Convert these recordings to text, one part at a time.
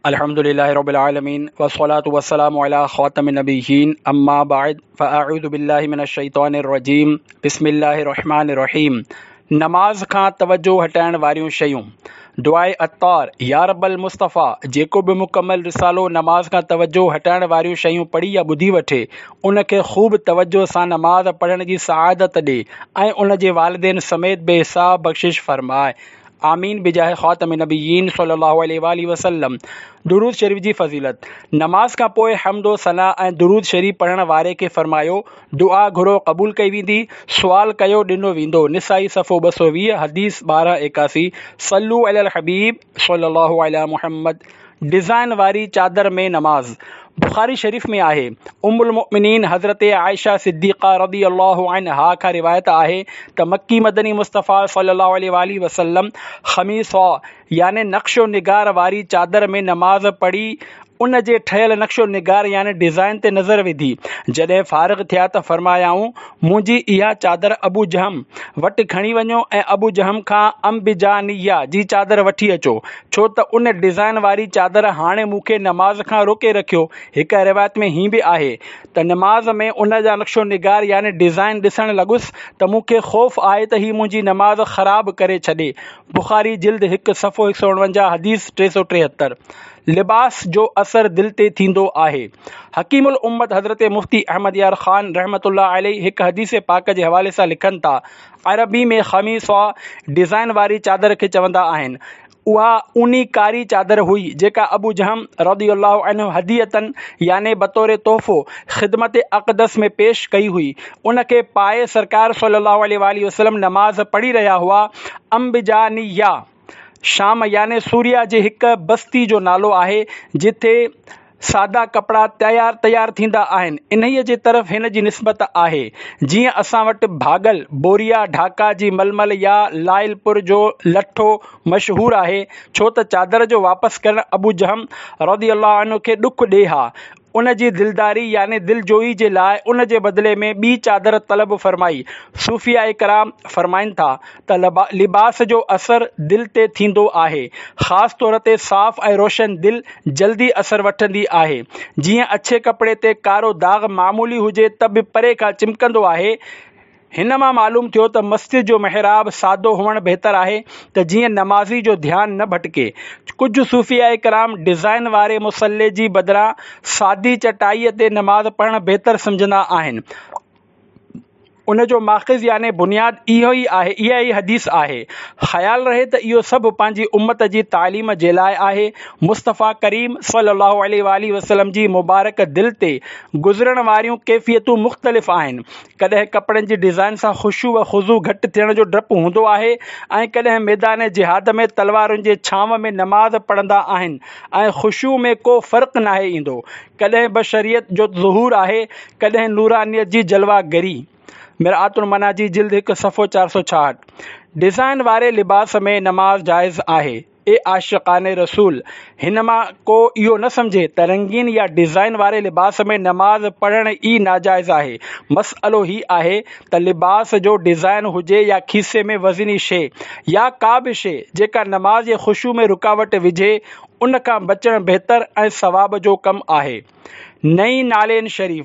الحمد لله رب العالمين والصلاة والسلام على خاتم النبيين اما بعد فاعوذ بالله من الشيطان الرجيم بسم الله الرحمن الرحيم نماز کان توجه هٽائڻ واريون شيون دعاء عطار يا رب المصطفيٰ جيڪو به مڪمل رسالو نماز کان توجه هٽائڻ واريون شيون پڙهي يا ٻڌي وٺي ان کي خوب توجه سان نماز پڙهڻ جي سعادت ڏي ۽ ان جي والدين سميت بي حساب بخشش فرماء آمين بجاه خاتم النبيين صلي الله عليه واٰله وسلم درود شريف جي فضيلت نماز کان پوء حمد و ثنا ۽ درود شريف پڙهڻ واري کي فرمايو دعا گهرو قبول ڪئي ويندي سوال ڪيو ڏنو ويندو نسائي صفحو 220 حديث 1281 صلو علي الحبيب صلي الله علي محمد ڊزائن واري چادر ۾ نماز بخاري شريف ۾ آهي، ام المؤمنين حضرت عائشه صديقه رضي الله عنها کان روايت آهي ته مڪي مدني مصطفيٰ صلي الله عليه واٰله وسلم خميصه يعني نقش و نگار واري چادر ۾ نماز پڙهي ان جي ٺهيل نقش و نگار يعني ڊزائن تي نظر وڌي، جڏهن فارغ ٿيا ته فرمايائون، منهنجي اها چادر ابو جهم وٽ کڻي وڃو ۽ ابو جهم کان انبجانيه جي چادر وٺي اچو، ڇو ته ان ڊزائن واري چادر هاڻي مون کي نماز کان روڪي رکيو. هڪ روايت ۾ هي به آهي ته نماز ۾ ان جا نقش و نگار يعني ڊزائن ڏسڻ لڳس ته مون کي خوف آهي ته هي منهنجي نماز خراب ڪري ڇڏي. بخاري جلد هڪ صفحو 149 حديث 373. لباس جو اثر دل تي ٿيندو آهي. حڪيم الامت حضرت مفتي احمد يار خان رحمة الله عليه هڪ حديث پاڪ جي حوالي سان لکن ٿا، عربي ۾ خميصه ڊزائن واري چادر کي چوندا آهن. اها اوني ڪاري چادر هئي جيڪا ابو جهم رضي الله عنه هديةً يعني بطور تحفو خدمت اقدس ۾ پيش ڪئي هئي. ان کي پائي سرڪار صلي الله عليه واٰله وسلم نماز پڙهي رهيا هئا. انبجانيه شام يعني سوريا جي هڪ بستي جو نالو آهي جتي سادا ڪپڙا تيار تيار ٿيندا آهن، انهيء جي طرف هن جي نسبت آهي. جيئن اسان وٽ ڀاڳل، بوريا، ڍاڪا جي ململ يا لائل پور جو لٺو مشهور آهي، ڇو ته چادر جو واپس ڪرڻ ابو جهم رضي الله عنه کي ڏک ڏئي ها، ان جي دلداري يعني دلجوئي جي لاء ان جي بدلي ۾ ٻي چادر طلب فرمائي. صوفياء ڪرام فرمائن ٿا ته لباس جو اثر دل تي ٿيندو آهي، خاص طور تي صاف ۽ روشن دل جلدي اثر وٺندي آهي. جيئن اڇي ڪپڙي تي ڪارو داغ معمولي هجي ته به پري کان چمڪندو آهي. هن مان معلوم ٿيو ته مسجد جو محراب سادو هئڻ بهتر آهي ته جيئن نمازي جو ڌيان نه ڀٽڪي. ڪجهه صوفياء ڪرام ڊزائن واري مصلي جي بدران سادي چٽائيء تي نماز پڙهڻ بهتر سمجهندا آهن. ان جو ماخذ يعني بنياد اهو ئي آهي، اها ئي حديث آهي. خيال رهي ته اهو سڀ پنهنجي امت جي تعليم جي لاء آهي. مصطفيٰ ڪريم صلي الله عليه واٰله وسلم جي مبارڪ دل تي گذرڻ واريون ڪيفيتون مختلف آهن. ڪڏهن ڪپڙن جي ڊزائن سان خشوع و خضوع گهٽ ٿيڻ جو ڊپ هوندو آهي ۽ ڪڏهن ميدان جهاد ۾ تلوارن جي ڇانو ۾ نماز پڙهندا آهن ۽ خشوع ۾ ڪو فرق ناهي ايندو. ڪڏهن بشريت جو ظهور آهي، ڪڏهن نورانيت جي جلوه گري. مرآة المناجي جلد هڪ صفحو 466. ڊزائن واري لباس ۾ نماز جائز آهي. اي عاشقان رسول! هن مان ڪو اهو نه سمجهي ته رنگين يا ڊزائن واري لباس ۾ نماز پڙهڻ ئي ناجائز آهي. مسئلو هي آهي ته لباس جو ڊزائن هجي يا کيسي ۾ وزني شيء يا ڪا به شيء جيڪا نماز جي خشوع ۾ رڪاوٽ وجهي ان کان بچڻ بهتر ۽ ثواب جو ڪم آهي. نئين نعلين شريف،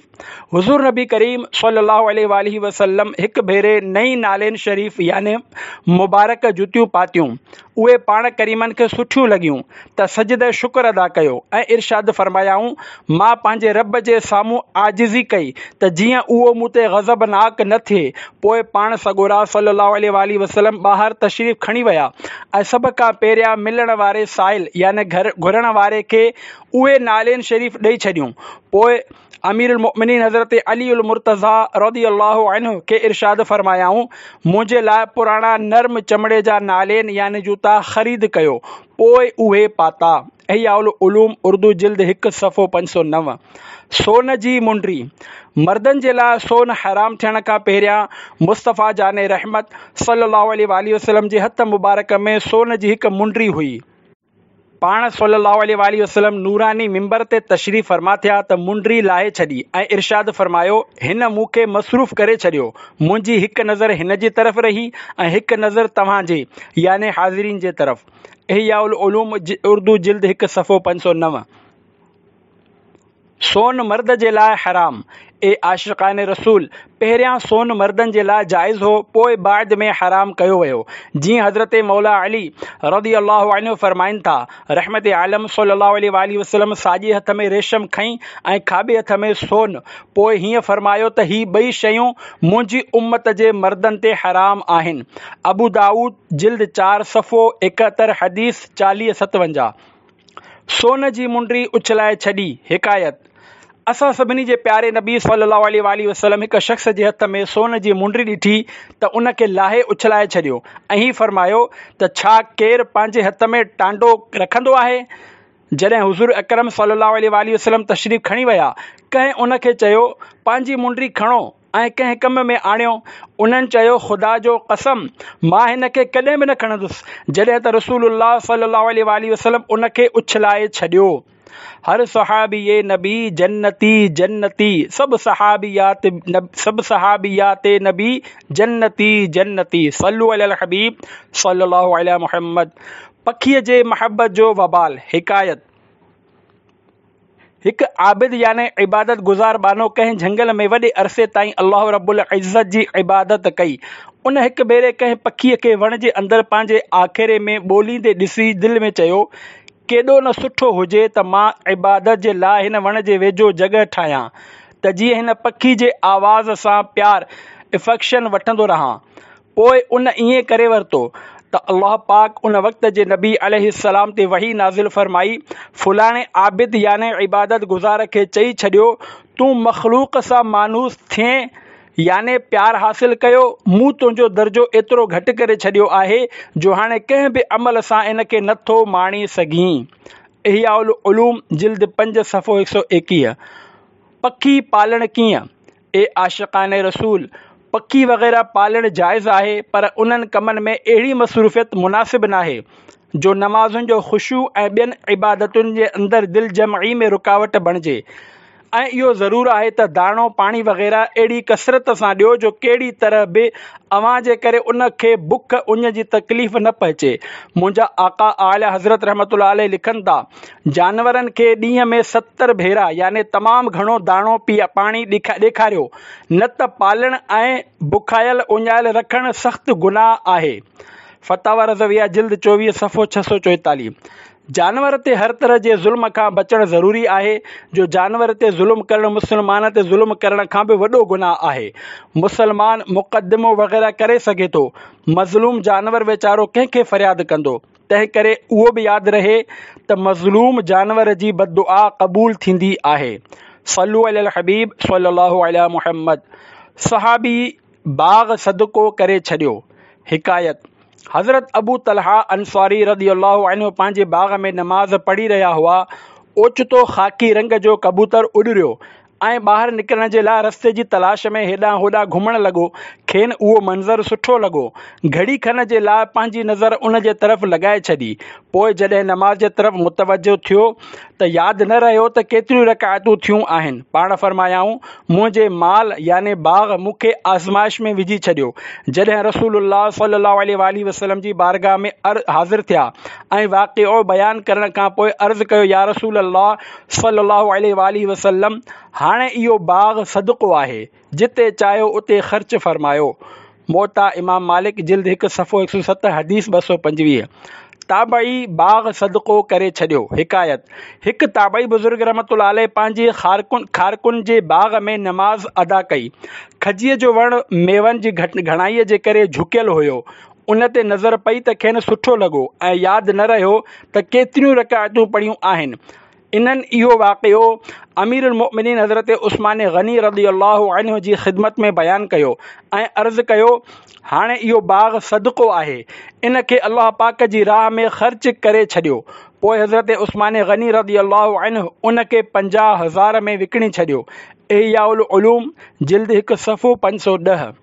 حضور نبي ڪريم صلي الله عليه واٰله وسلم هڪ ڀيري نئين نعلين شريف يعني مبارڪ جتيون پاتيون، اهي پاڻ ڪريمن کي سٺيون لڳيون ته سجده شڪر ادا ڪيو ۽ ارشاد فرمايائون، مان پنهنجي رب جي سامهون عاجزي ڪئي ته جيئن اهو مون تي غضبناڪ نه ٿئي، پوء پاڻ سڳورا صلّي اللّٰه عليه واٰله وسلّم ٻاهر تشريف کڻي ويا ۽ سڀ کان پهريان ملڻ واري سائل يعني گهرڻ واري کي اهي نعلين شريف ڏئي ڇڏيون، پوء امير المؤمنين حضرت علي المرتضيٰ رضي الله عنه کي ارشاد فرمايائون، منهنجي لاء پراڻا نرم چمڙي جا نعلين يعني جوتا خريد ڪيو، پوء اهي پاتا. احياء العلوم اردو جلد هڪ صفحو 509. سون جي منڊي، مردن جي لاء سون حرام ٿيڻ کان پهريان مصطفيٰ جان رحمت صلي الله عليه واٰله وسلم جي هٿ مبارڪ ۾ سون جي هڪ منڊي هئي. پاڻ صلّي اللّٰه عليه واٰله وسلّم نوراني منبر تي تشريف فرما ٿيا ته منڊي لاهي ڇڏي ۽ ارشاد فرمايو، هن مون کي مصروف ڪري ڇڏيو، منهنجي هڪ نظر هن جي طرف رهي ۽ هڪ نظر توهان جي، يعني حاضرين جي، طرف. احياء العلوم اردو جلد هڪ صفحو 509. سون مرد جي لاء حرام، اي عاشقان رسول! پهريان سون مردن جي لاء جائز هو، پوء بعد ۾ حرام ڪيو ويو. جيئن حضرت مولا علي رضي الله عنه فرمائن ٿا، رحمت عالم صلي الله عليه واٰله وسلم ساڄي هٿ ۾ ريشم کنئي ۽ کاٻي هٿ ۾ سون، پوء هيئن فرمايو ته هي ٻئي شيون منهنجي امت جي مردن تي حرام آهن. ابودائود جلد چار صفحو 71 حديث 40 57. سون جي منڊي اڇلائي ڇڏي. حڪايت، اسان سڀني جي پياري نبي صلّي اللّٰه عليه واٰله وسلّم هڪ شخص جي هٿ ۾ سون جي منڊي ڏٺي ته ان کي لاهي اڇلائي ڇڏيو ۽ هي فرمايو ته ڇا ڪير پنهنجي هٿ ۾ ٽانڊو رکندو آهي؟ جڏهن حضور اڪرم صلّي اللّٰه عليه واٰله وسلّم تشريف کڻي ويا، ڪنهن ان کي چيو، پنهنجي منڊي کڻو ۽ ڪنهن ڪم ۾ آڻيو. انهن چيو، خدا جو قسم! مان هن کي ڪڏهن به نه کڻندس. جڏهن ته رسول الله صلي الله عليه واٰله وسلم ان کي اڇلائي ڇڏيو. هر صحابي نبي جنتي جنتي سڀ صحابيات سڀ صحابيات نبي جنتي جنتي صلو علي الحبيب صلي الله علي محمد پکيء جي محبت جو وبال، حڪايت. هڪ عابد يعني عبادت گذار ٻانهو ڪنهن جهنگل ۾ وڏي عرصي تائين الله رب العزت جي عبادت ڪئي. ان هڪ ڀيري ڪنهن پکيء کي وڻ جي اندر پنهنجي آکيري ۾ ٻوليندي ڏسي دل ۾ چيو، ڪيڏو نه سٺو هجي ته مان عبادت جي لاء هن وڻ جي ويجهو جڳهه ٺاهيان ته جيئن هن پکي جي آواز سان پيار، Affection، وٺندو رهان. پوء ان ائين ڪري ورتو ته الله پاڪ ان وقت جي نبي عليه السلام تي وحي نازل فرمائي، فلاڻي عابد يعني عبادت گذار کي چئي ڇڏيو تون مخلوق سان مانوس ٿئين يعني پيار حاصل ڪيو، مون تنهنجو درجو ايترو گهٽ ڪري ڇڏيو آهي جو هاڻي ڪنهن به عمل سان ان کي نه ٿو ماڻي سگهين. احياء العلوم جلد پنج صفحو 121. پکي پالڻ ڪيئن؟ اي عاشقان رسول! پکي وغيره پالڻ جائز آهي پر انهن ڪمن ۾ اهڙي مصروفيت مناسب ناهي جو نمازن جو خشوع ۽ ٻين عبادتن جي اندر دل جمعي ۾ رڪاوٽ بڻجي ۽ اهو ضرور آهي ته داڻو پاڻي وغيره اهڙي ڪثرت سان ڏيو جو ڪهڙي طرح به اوهان جي ڪري ان کي بک اڃ جي تڪليف نه پهچي. منهنجا آقا اعليٰ حضرت رحمة الله عليه لکن ٿا، جانورن کي ڏينهن ۾ 70 ڀيرا يعني تمام گهڻو داڻو پاڻي ڏيکاريو، نه ته پالڻ ۽ بکايل اڃايل رکڻ سخت گناهه آهي. فتاويٰ رضويه جلد 24 صفحو 644. جانور تي هر طرح جي ظلم کان بچڻ ضروري آهي، جو جانور تي ظلم ڪرڻ مسلمان تي ظلم ڪرڻ کان به وڏو گناهه آهي. مسلمان مقدمو وغيره ڪري سگهي ٿو، مظلوم جانور ويچارو ڪنهن کي فرياد ڪندو؟ تنهن ڪري اهو به ياد رهي ته مظلوم جانور جي بددعا قبول ٿيندي آهي. صلو علي الحبيب صلي الله علي محمد صحابي باغ صدقو ڪري ڇڏيو. حڪايت، حضرت ابو طلحه انصاري رضي الله عنه پنهنجي باغ ۾ نماز پڙهي رهيا هئا، اوچتو خاڪي رنگ جو ڪبوتر اڏريو ۽ ٻاهر نڪرڻ جي لاء رستي جي تلاش ۾ هيڏانهن هوڏانهن گهمڻ لڳو. کين اهو منظر سٺو لڳو. گهڙي کن جي لاء پنهنجي نظر ان جي طرف لڳائي ڇڏي. پوء جڏهن نماز جي طرف متوجه ٿيو ته ياد نه رهيو ته ڪيتريون رڪعتون ٿيون آهن. پاڻ فرمايائون، منهنجي مال يعني باغ مون کي آزمائش ۾ وجهي ڇڏيو. جڏهن رسول الله صلي الله عليه واٰله وسلم جي بارگاهه ۾ حاضر ٿيا ۽ واقعو بيان ڪرڻ کان پوء عرض ڪيو، يا رسول الله صلّي اللّٰه عليه واٰله وسلّم هاڻي اهو باغ صدقو آهي، جتي چاهيو اتي خرچ فرمايو. موطا امام مالڪ جلد هڪ صفحو 107 حديث 225. تابعي باغ صدقو ڪري ڇڏيو. حڪايت، هڪ تابعي بزرگ رحمة الله عليه پنهنجي خارڪن کارڪن جي باغ ۾ نماز ادا ڪئي. کجيء جو وڻ ميون جي گهڻائيء جي ڪري جهڪيل هيو. ان تي نظر پئي ته کين سٺو لڳو ۽ ياد نه رهيو ته ڪيتريون رڪعتون پڙهيون آهن. انهن اهو واقعو امير المؤمنين حضرت عثمان غني رضي الله عنه جي خدمت ۾ بيان ڪيو ۽ عرض ڪيو، هاڻي اهو باغ صدقو آهي، ان کي الله پاڪ جي راهه ۾ خرچ ڪري ڇڏيو. پوء حضرت عثمان غني رضي الله عنه ان کي 50,000 ۾ وڪڻي ڇڏيو. احياء العلوم جلد هڪ صفحو 510.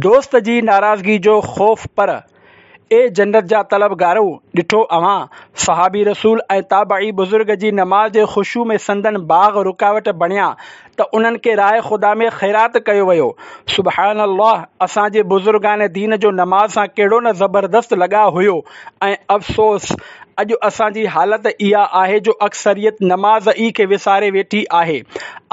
دوست جي ناراضگي جو خوف پر اي جنت جا طلبگارؤ! ڏٺو اوهان، صحابي رسول ۽ تابعي بزرگ جي نماز جي خشوع ۾ سندن باغ رڪاوٽ بڻيا ته انهن کي راهه خدا ۾ خيرات ڪيو ويو. سبحان الله! اسان جي بزرگان دين جو نماز سان ڪهڙو نه زبردست لڳاء هيو ۽ افسوس! اڄ اسان جي حالت اها آهي جو اڪثريت نماز ئي کي وساري ويٺي آهي.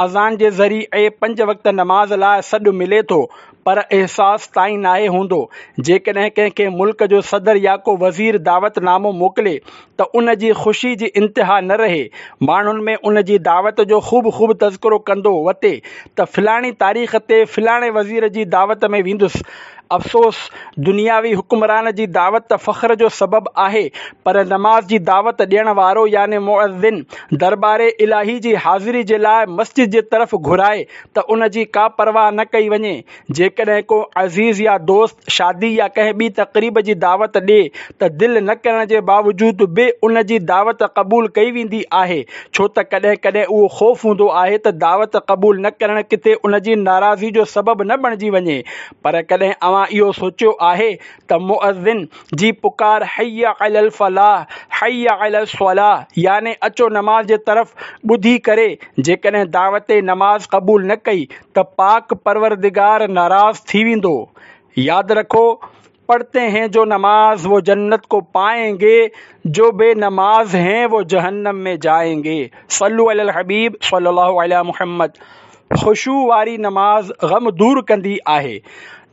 اذان جي ذريعي پنج وقت نماز لاء سڏ ملي ٿو پر احساس تائين ناهي هوندو. جيڪڏهن ڪنهن کي ملڪ جو صدر يا ڪو وزير دعوت نامو موڪلي ته ان جي خوشي جي انتها نه رهي. ماڻهن ۾ ان جي دعوت جو خوب خوب تذڪرو ڪندو وتي ته فلاڻي تاريخ تي فلاڻي وزير جي دعوت ۾ ويندس. افسوس! دنياوي حڪمران جي دعوت ته فخر جو سبب آهي پر نماز جي دعوت ڏيڻ وارو يعني مؤذن دربار الاهي جي حاضري جي لاء مسجد جي طرف گهرائي ته ان جي ڪا پرواهه نه ڪئي وڃي. جيڪڏهن ڪو عزيز يا دوست شادي يا ڪنهن ٻي تقريب جي دعوت ڏي ته دل نه ڪرڻ جي باوجود به ان جي دعوت قبول ڪئي ويندي آهي، ڇو ته ڪڏهن ڪڏهن اهو خوف هوندو آهي ته دعوت قبول نه ڪرڻ ڪٿي ان جي ناراضي جو سبب نه بڻجي وڃي. پر ڪڏهن اوهان اهو سوچيو آهي ته مؤذن جي پڪار حي علی الفلاح حي علی الصلاح يعني اچو نماز جي طرف ٻڌي ڪري جيڪڏهن دعوت نماز قبول نه ڪئي ته پاڪ پروردگار ناراض ٿي ويندو. ياد رکو پڙهتي هين جو نماز وہ جنت کو پائين گي جو بي نماز هين وہ جهنم ۾ جائين گي صلو علی الحبيب صلي الله علي محمد خشوع واري نماز غم دور ڪندي آهي.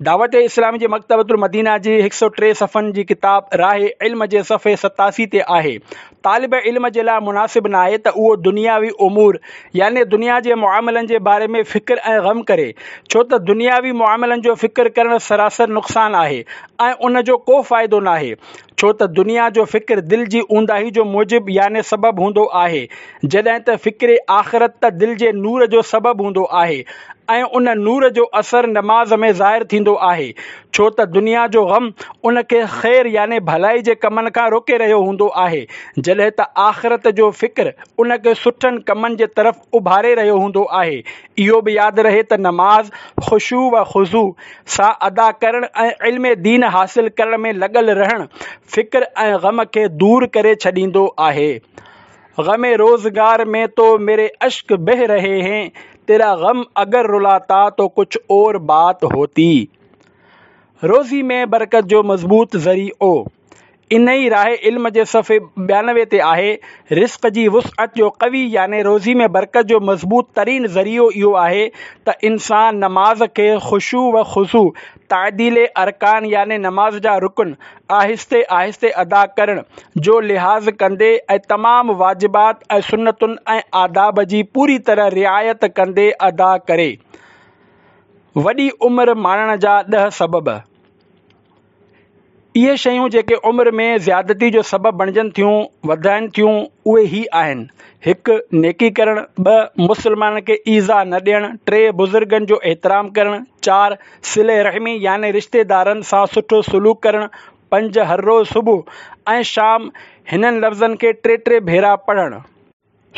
دعوت اسلامي جي مڪتبة المدينه جي هڪ سؤ ٽي صفحن جي ڪتاب راهه علم جي صفحي 87 تي آهي. طالب علم جي لاء مناسب ناهي ته اهو دنياوي امور يعني دنيا جي معاملن جي باري ۾ فڪر ۽ غم ڪري، ڇو ته دنياوي معاملن جو فڪر ڪرڻ سراسر نقصان آهي ۽ ان جو ڪو فائدو ناهي. ڇو ته دنيا جو فڪر دل جي اونداهي جو موجب يعني سبب هوندو آهي، جڏهن ته فڪر آخرت ته دل جي نور جو سبب هوندو آهي ۽ ان نور جو اثر نماز ۾ ظاهر ٿيندو آهي، ڇو ته دنيا جو غم ان کي خير يعني ڀلائي جي ڪمن کان روڪي رهيو هوندو آهي، جڏهن ته آخرت جو فڪر ان کي سٺن ڪمن جي طرف اڀاري رهيو هوندو آهي. اهو به ياد رهي ته نماز خشوع و خضوع سان ادا ڪرڻ ۽ علم دين حاصل ڪرڻ ۾ لڳل رهڻ فڪر ۽ غم کي دور ڪري ڇڏيندو آهي. غم روزگار ۾ تو ميري اشڪ بهه رهي هين تيرا غم اگر رلاتا تو ڪڇ اور بات هوتي. روزي ۾ برڪت جو مضبوط ذريعو. انهيء راهه علم جي صفحي 92 تي آهي، رزق جي وسعت جو قوي يعني روزي ۾ برڪت جو مضبوط ترين ذريعو اهو آهي ته انسان نماز کي خشوع و خضوع، تعديل ارڪان يعني نماز جا رڪن آهستي آهستي ادا ڪرڻ، جو لحاظ ڪندي ۽ تمام واجبات ۽ سنتن ۽ آداب جي پوري طرح رعايت ڪندي ادا ڪري. وڏي عمر ماڻڻ جا ڏهه سبب. اهي شيون جيڪي عمر ۾ زيادتي جو سبب بڻجن ٿيون، وڌائن ٿيون، اهي هي آهن، هڪ. نيڪي ڪرڻ، ٻه. مسلمانن کي ايذاء نه ڏيڻ، ٽي. بزرگن جو احترام ڪرڻ، چار. صله رحمي يعني رشتيدارن سان سٺو سلوڪ ڪرڻ، پنج. هر روز صبح ۽ شام هنن لفظن کي ٽي ٽي ڀيرا پڙهڻ.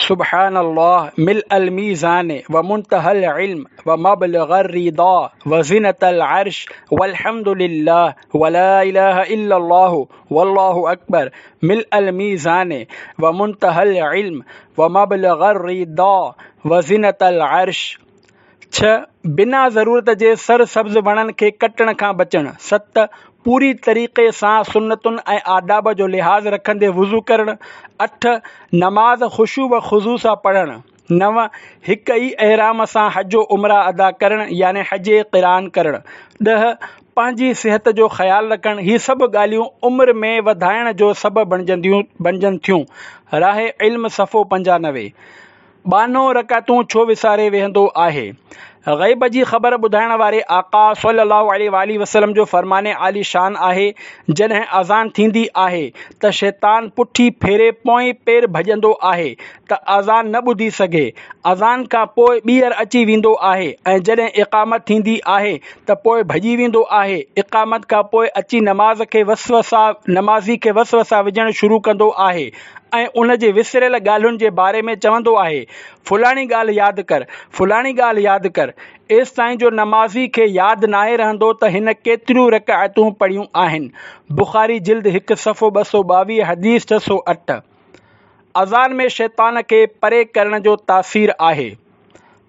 سبحان الله ملء الميزان ومنتهى العلم ومبلغ الرضا وزنة العرش والحمد لله ولا اله الا الله والله اڪبر ملء الميزان ومنتهى العلم ومبلغ الرضا وزنة العرش ڇهه، بنا ضرورت جي سر سبز وڻن کي ڪٽڻ کان بچڻ. ست، پوري طريقي سان سنتن ۽ آداب جو لحاظ رکندي وضو ڪرڻ. اٺ، نماز خشوع و خضوع سان پڙهڻ. نو، هڪ ئي احرام سان حج و عمره ادا ڪرڻ يعني حج قران ڪرڻ. ڏهه، پنهنجي صحت جو خيال رکڻ. هي سڀ ڳالهيون عمر ۾ وڌائڻ جو سبب بڻجن ٿيون. راهه علم صفحو 95. ٻانهو رڪعتون ڇو وساري ويهندو آهي؟ غيب جي خبر ٻڌائڻ واري آقا صلي الله عليه واٰله وسلم جو فرمان عالي شان آهي، جڏهن اذان ٿيندي آهي ته شيطان پٺي ڦيري پوئين پير ڀڄندو آهي ته اذان نه ٻڌي سگهي، اذان کان پوء ٻيهر اچي ويندو آهي ۽ جڏهن اقامت ٿيندي آهي ته پوء ڀڄي ويندو آهي، اقامت کان پوء اچي نماز کي وسوسا نمازي کي وسوسا وجهڻ شروع ڪندو آهي. ۽ ان جي وسريل ڳالهين جي باري ۾ چوندو آهي، فلاڻي ڳالهه ياد ڪر، فلاڻي ڳالهه ياد ڪر. ايستائين جو نمازي کي ياد ناهي رهندو ته هن ڪيتريون رڪعتون پڙهيون آهن. بخاري جلد هڪ صفحو 222 حديث 608. اذان ۾ شيطان کي پري ڪرڻ جو تاثير آهي.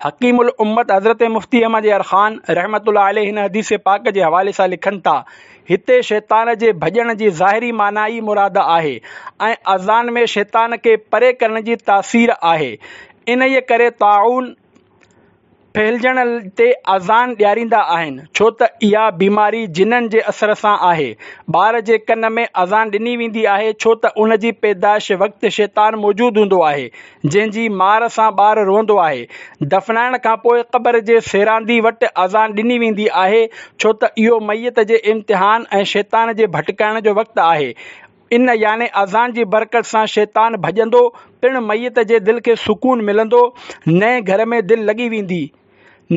حڪيم الامت حضرت مفتي احمد يار خان رحمة الله عليه هن حديث پاڪ جي حوالي سان لکن ٿا، هتي شيطان جي ڀڄڻ جي ظاهري معنيٰ ئي مراد آهي ۽ اذان ۾ شيطان کي پري ڪرڻ جي تاثير آهي، انهيء ڪري طاعون ڦهلجڻ تي اذان ڏياريندا آهن، ڇو ته اها بيماري جنن جي اثر سان آهي. ٻار جي ڪن ۾ اذان ڏني ويندي آهي، ڇو ته ان جي پيدائش وقت شيطان موجود هوندو آهي، جنهن جي مار سان ٻار روئندو آهي. دفنائڻ کان پوء قبر جي سيراندي وٽ اذان ڏني ويندي آهي، ڇو ته اهو ميت جي امتحان ۽ شيطان جي ڀٽڪائڻ جو وقت آهي. ان يعني اذان جي برڪت سان شيطان ڀڄندو، پڻ ميت جي دل کي سڪون ملندو، نئين گهر ۾ دل لڳي ويندي.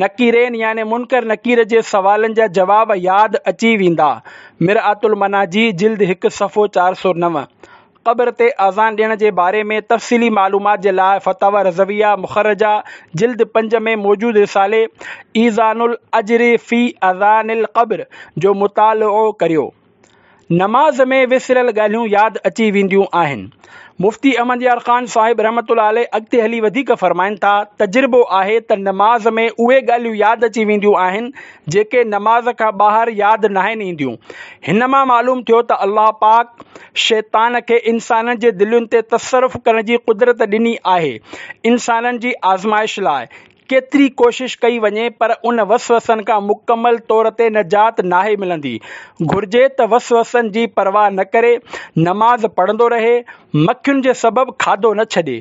نڪيرين يعني منڪر نڪير جي سوالن جا جواب ياد اچي ويندا. مرآة المناجي جلد هڪ صفحو 409. قبر تي اذان ڏيڻ جي باري ۾ تفصيلي معلومات جي لاء فتاويٰ رضويه مخرجه جلد 5 ۾ موجود رسالي ايذان الاجر في اذان القبر جو مطالعو ڪريو. نماز ۾ وسريل ڳالهيون ياد اچي وينديون آهن. مفتي احمد يار خان صاحب رحمة الله عليه اڳتي هلي وڌيڪ فرمائن ٿا، تجربو آهي ته نماز ۾ اهي ڳالهيون ياد اچي وينديون آهن جيڪي نماز کان ٻاهر ياد ناهن اينديون. هن مان معلوم ٿيو ته الله پاڪ شيطان کي انسانن جي دلين تي تصرف ڪرڻ جي قدرت ڏني آهي انسانن جي آزمائش لاء. ڪيتري ڪوشش ڪئي وڃي پر ان وسوسن کان مڪمل طور تي نجات ناهي ملندي. گهرجي ته وسوسن جي پرواهه نه ڪري، نماز پڙهندو رهي، مکين جي سبب کاڌو نه ڇڏي.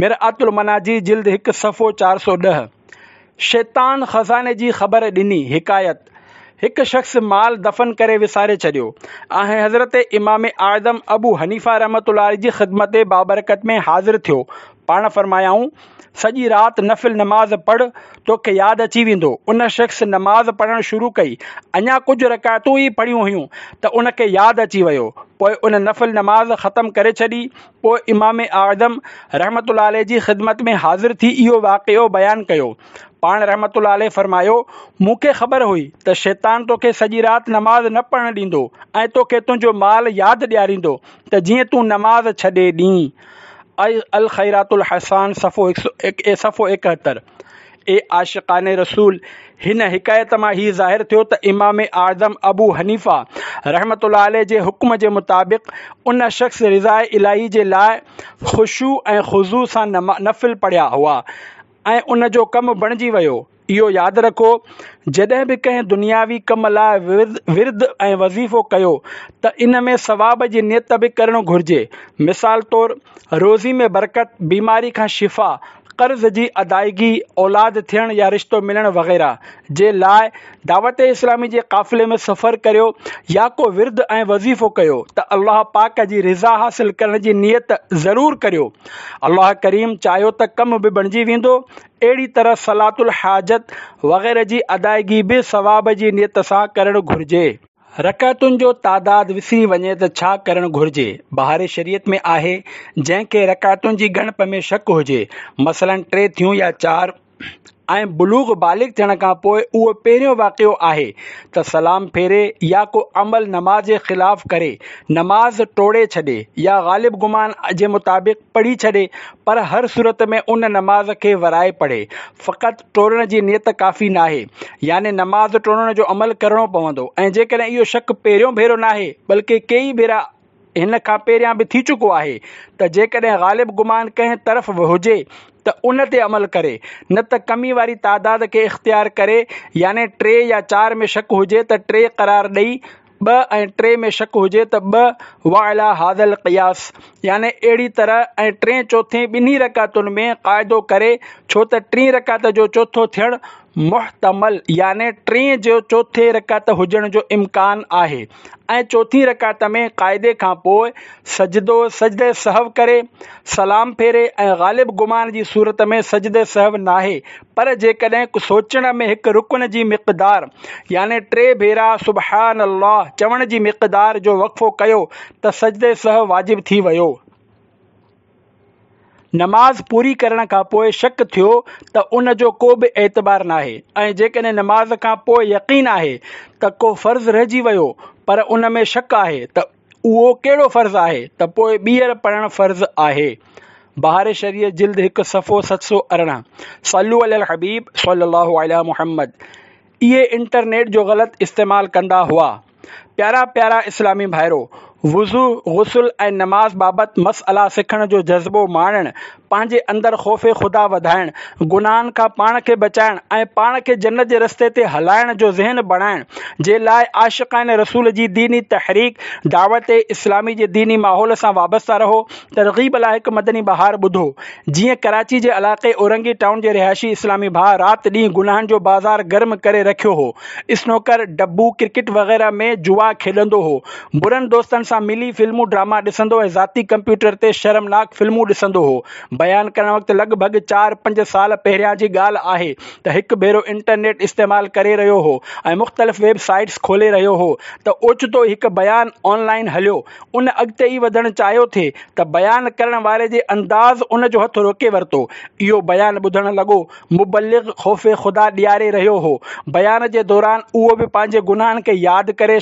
مرآة المناجي جلد هڪ صفحو 410. شيطان خزاني جي خبر ڏني، حڪايت، هڪ شخص مال دفن ڪري وساري ڇڏيو ۽ حضرت امام اعظم ابو حنيفه رحمة الله عليه جي خدمت بابرڪت ۾ حاضر ٿيو، پاڻ فرمايائون، سڄي رات نفل نماز پڙهه، توکي ياد اچي ويندو. ان شخص نماز پڙهڻ شروع ڪئي، اڃا ڪجهه رڪعتون ئي پڙهيون هيون ته ان کي ياد اچي ويو، پوء ان نفل نماز ختم ڪري ڇڏي، پوء امام اعظم رحمة الله عليه جي خدمت ۾ حاضر ٿي اهو واقعو بيان ڪيو. پاڻ رحمة الله عليه فرمايو، مون کي خبر هئي ته شيطان توکي سڄي رات نماز نه پڙهڻ ڏيندو ۽ توکي تنهنجو مال ياد ڏياريندو ته جيئن تون نماز ڇڏي ڏين. الخيرات الحسان صفحو 71. اي عاشقان رسول! هن حڪايت مان هي ظاهر ٿيو ته امام اعظم ابو حنيفه رحمة الله عليه جي حڪم جي مطابق ان شخص رضاء الاهي جي لاء خشوع ۽ خضوع سان نفل پڙهيا هئا ۽ ان جو ڪم بڻجي ويو. اهو ياد رکو، جڏهن به ڪنهن دنياوي ڪم لاء ورد ۽ وظيفو ڪيو ته ان ۾ ثواب جي نيت به ڪرڻ گهرجي. مثال طور، روزي ۾ برڪت، بيماري کان شفا، قرض جي ادائگي، اولاد ٿيڻ يا رشتو ملڻ وغيره جي لاء دعوت اسلامي جي قافلي ۾ سفر ڪريو يا ڪو ورد ۽ وظيفو ڪيو ته الله پاڪ جي رضا حاصل ڪرڻ جي نيت ضرور ڪريو. الله ڪريم چاهيو ته ڪم به بڻجي ويندو. اهڙي طرح صلات الحاجت وغيره جي ادائگي به ثواب جي نيت سان ڪرڻ گهرجي. رڪعتن جو تعداد وسري وڃي ته ڇا ڪرڻ گهرجي؟ بهار شريعت ۾ آهي، جنهن کي رڪعتن جي ڳڻپ ۾ شڪ هجي، مثلاً ٽي ٿيون يا چار، ۽ بلوغ بالغ ٿيڻ کان پوء اهو پهريون واقعو آهي ته سلام ڦيري يا ڪو عمل نماز جي خلاف ڪري نماز ٽوڙي ڇڏي يا غالب گمان جي مطابق پڙهي ڇڏي پر هر صورت ۾ ان نماز کي ورائي پڙهي فقط ٽوڙڻ جي نيت ڪافي ناهي يعني نماز ٽوڙڻ جو عمل ڪرڻو پوندو ۽ جيڪڏهن اهو شڪ پهريون ڀيرو ناهي بلڪه ڪيئي ڀيرا هن کان پهريان به ٿي چڪو آهي ته جيڪڏهن غالب گمان ڪنهن طرف هجي ته ان تي عمل ڪري نه ته ڪمي واري تعداد کي اختيار ڪري يعني ٽي يا چار ۾ شڪ هجي ته ٽي قرار ڏئي ٻه ۽ ٽي ۾ شڪ هجي ته ٻه وعلي هذا القياس يعني اهڙي طرح ۽ ٽين چوٿين ٻنهي رڪعتن ۾ قاعدو ڪري ڇو ته ٽين رڪعت جو چوٿو ٿيڻ محتمل يعني ٽين جو چوٿين رڪعت هجڻ جو امڪان آهي ۽ چوٿين رڪعت ۾ قاعدي کان پوء سجدو سجده سهو ڪري سلام ڦيري ۽ غالب گمان جي صورت ۾ سجده سهو ناهي پر جيڪڏهن سوچڻ ۾ هڪ رڪن جي مقدار يعني ٽي ڀيرا سبحان الله چوڻ جي مقدار جو وقفو ڪيو ته سجده سهو واجب ٿي ويو. نماز پوري ڪرڻ کان پوء شڪ ٿيو ته ان جو ڪو به اعتبار ناهي ۽ جيڪڏهن نماز کان پوء يقين آهي ته ڪو فرض رهجي ويو پر ان ۾ شڪ آهي ته اهو ڪهڙو فرض آهي ته پوء ٻيهر پڙهڻ فرض آهي. بهار شريعت جلد 1 صفحو 718 صلو علي الحبيب صلي الله علي محمد اهي انٽرنيٽ جو غلط استعمال ڪندا هئا. پيارا پيارا اسلامي ڀائرو! وضو، غسل ۽ نماز بابت مسئلا سکڻ جو جذبو ماڻڻ، پنهنجي اندر خوف خدا وڌائڻ، گناهن کان پاڻ کي بچائڻ ۽ پاڻ کي جنت جي رستي تي هلائڻ جو ذهن بڻائڻ جي لاء عاشقان رسول جي ديني تحريڪ دعوت اسلامي جي ديني ماحول سان وابسته رهو. ترغيب لاء هڪ مدني بهار ٻڌو. جيئن ڪراچي جي علائقي اورنگي ٽائون جي رهائشي اسلامي ڀاء رات ڏينهن گناهن جو بازار گرم ڪري رکيو هو. اسنوڪر، ڊبو، ڪرڪيٽ وغيره ۾ جوا کيڏندو هو. برن دوستن سان ملي فلمون ڊراما ڏسندو ۽ ذاتي ڪمپيوٽر تي شرمناڪ فلمون ڏسندو هو. بيان ڪرڻ وقت لڳ ڀڳ چار پنج سال پهريان جي ڳالهه آهي ته هڪ ڀيرو انٽرنيٽ استعمال ڪري رهيو هو ۽ مختلف ويب سائيٽس کولي رهيو هو ته اوچتو ئي هڪ بيان آن لائين هليو ان اڳتي ئي وڌڻ چاهيو ٿي ته بيان ڪرڻ واري جي انداز ان جو هٿ روڪي ورتو. اهو بيان ٻڌڻ لڳو. مبلغ خوف خدا ڏياري رهيو هو. بيان جي دوران اهو به پنهنجي گناهن کي ياد ڪري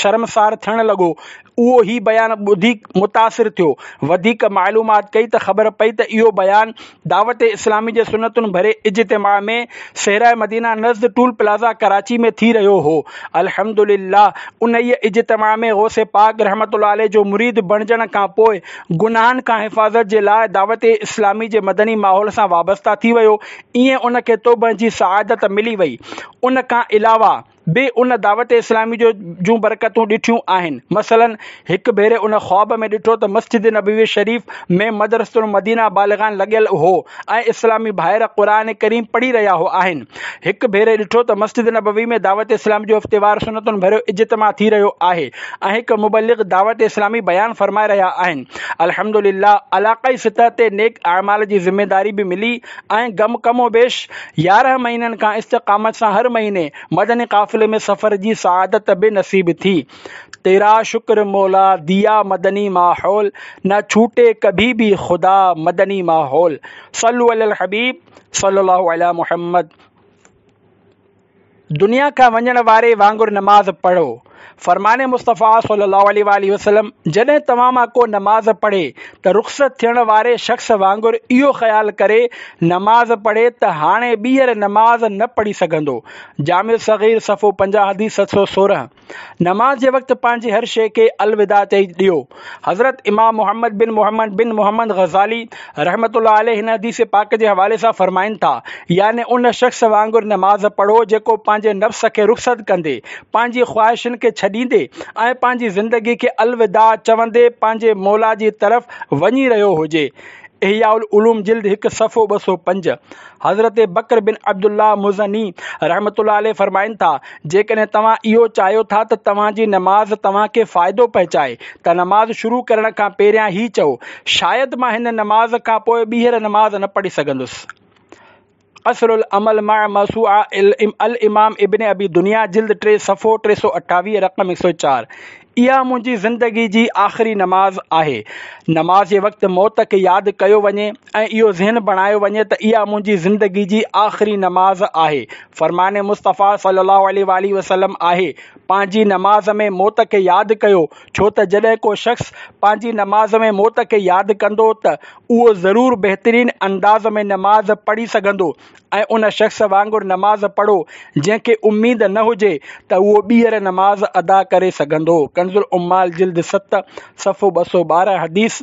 شرمسار ٿيڻ لڳو. اهو هي بيان ٻڌي متاثر ٿيو. وڌيڪ معلومات ڪئي ته خبر پئي ته اهو بيان دعوت اسلامي جي سنتن ڀري اجتماع ۾ صحرا مدينه نزد ٽول پلازا ڪراچي ۾ ٿي رهيو هو. الحمد لله انهيء اجتماع ۾ غوث پاڪ رحمة الله عليه جو مريد بڻجڻ کان پوء گناهن کان حفاظت جي لاء دعوت اسلامي جي مدني ماحول سان وابسته ٿي ويو ايئن ان کي توبه جي سعادت ملي وئي. ان کان علاوه. به ان دعوت اسلامي جو جون برڪتون ڏٺيون آهن. مثلاً هڪ ڀيري ان خواب ۾ ڏٺو ته مسجد نبوي شريف ۾ مدرسة المدينه بالغان لڳل هو ۽ اسلامي ڀائر قرآن ڪريم پڙهي رهيا آهن. هڪ ڀيري ڏٺو ته مسجد نبوي ۾ دعوت اسلامي جو هفتيوار سنتن ڀريو اجتماع ٿي رهيو آهي ۽ هڪ مبلغ دعوت اسلامي بيان فرمائي رهيا آهن. الحمدلله علاقائي سطح تي نيڪ اعمال جي ذميداري به ملي ۽ گم ڪم و بيش 11 مهينن کان استقامت سان هر مهيني مدني قافلي ۾ سفر جي سعادت به نصيب ٿي. تيرا شڪر مولا ديا مدني ماحول نه ڇوٽي ڪڀي ڀي خدا مدني ماحول صلو علي الحبيب صلي الله علي محمد. دنيا کان وڃڻ واري وانگر نماز پڙهو. فرمان مصطفيٰ صلي الله عليه واٰله وسلم جڏهن توهان مان ڪو نماز پڙهي ته رخصت ٿيڻ واري شخص وانگر اهو خيال ڪري نماز پڙهي ته هاڻي ٻيهر نماز نه پڙهي سگهندو. جامع صغير صفحو 50 حديث 716. نماز جي وقت پنهنجي هر شيء کي الوداع چئي ڏيو. حضرت امام محمد بن محمد بن محمد غزالي رحمة الله عليه هن حديث پاڪ جي حوالي سان فرمائن ٿا، يعني ان شخص وانگر نماز پڙهو جيڪو پنهنجي نفس کي رخصت ڪندي، پنهنجي خواهشن کي ڇڏيندي ۽ پنهنجي زندگي کي الوداع چوندي پنهنجي مولا جي طرف وڃي رهيو هجي. احياء العلوم جلد 1 صفحو 205. حضرت بڪر بن عبدالله مزني رحمة الله عليه فرمائن ٿا، جيڪڏهن توهان اهو چاهيو ٿا ته توهان جي نماز توهان کي فائدو پهچائي ته نماز شروع ڪرڻ کان پهريان هي چئو، شايد مان هن نماز کان پوء ٻيهر نماز نه پڙهي سگهندس. قصر العمل مع موسوعه الامام ابن ابي دنيا جلد 3 صفحو 328 رقم 104 اها منهنجي زندگي جي آخري نماز آهي. نماز جي وقت موت کي ياد ڪيو وڃي ۽ اهو ذهن بڻايو وڃي ته اها منهنجي زندگي جي آخري نماز آهي. فرمان مصطفيٰ صلي الله عليه واٰله وسلم آهي، پنهنجي نماز ۾ موت کي ياد ڪيو، ڇو ته جڏهن ڪو شخص پنهنجي نماز ۾ موت کي ياد ڪندو ته اهو ضرور بهترين انداز ۾ نماز پڙهي سگهندو ۽ ان شخص وانگر نماز پڙهو جنهن کي اميد نه هجي ته اهو ٻيهر نماز ادا ڪري سگهندو. ڪنزالعمال جلد 7 صفحو 212 حديث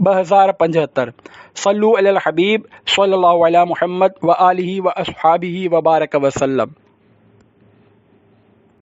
2075 صلو علی الحبيب صلي الله علي محمد وآله واصحابه وبارڪ وسلم.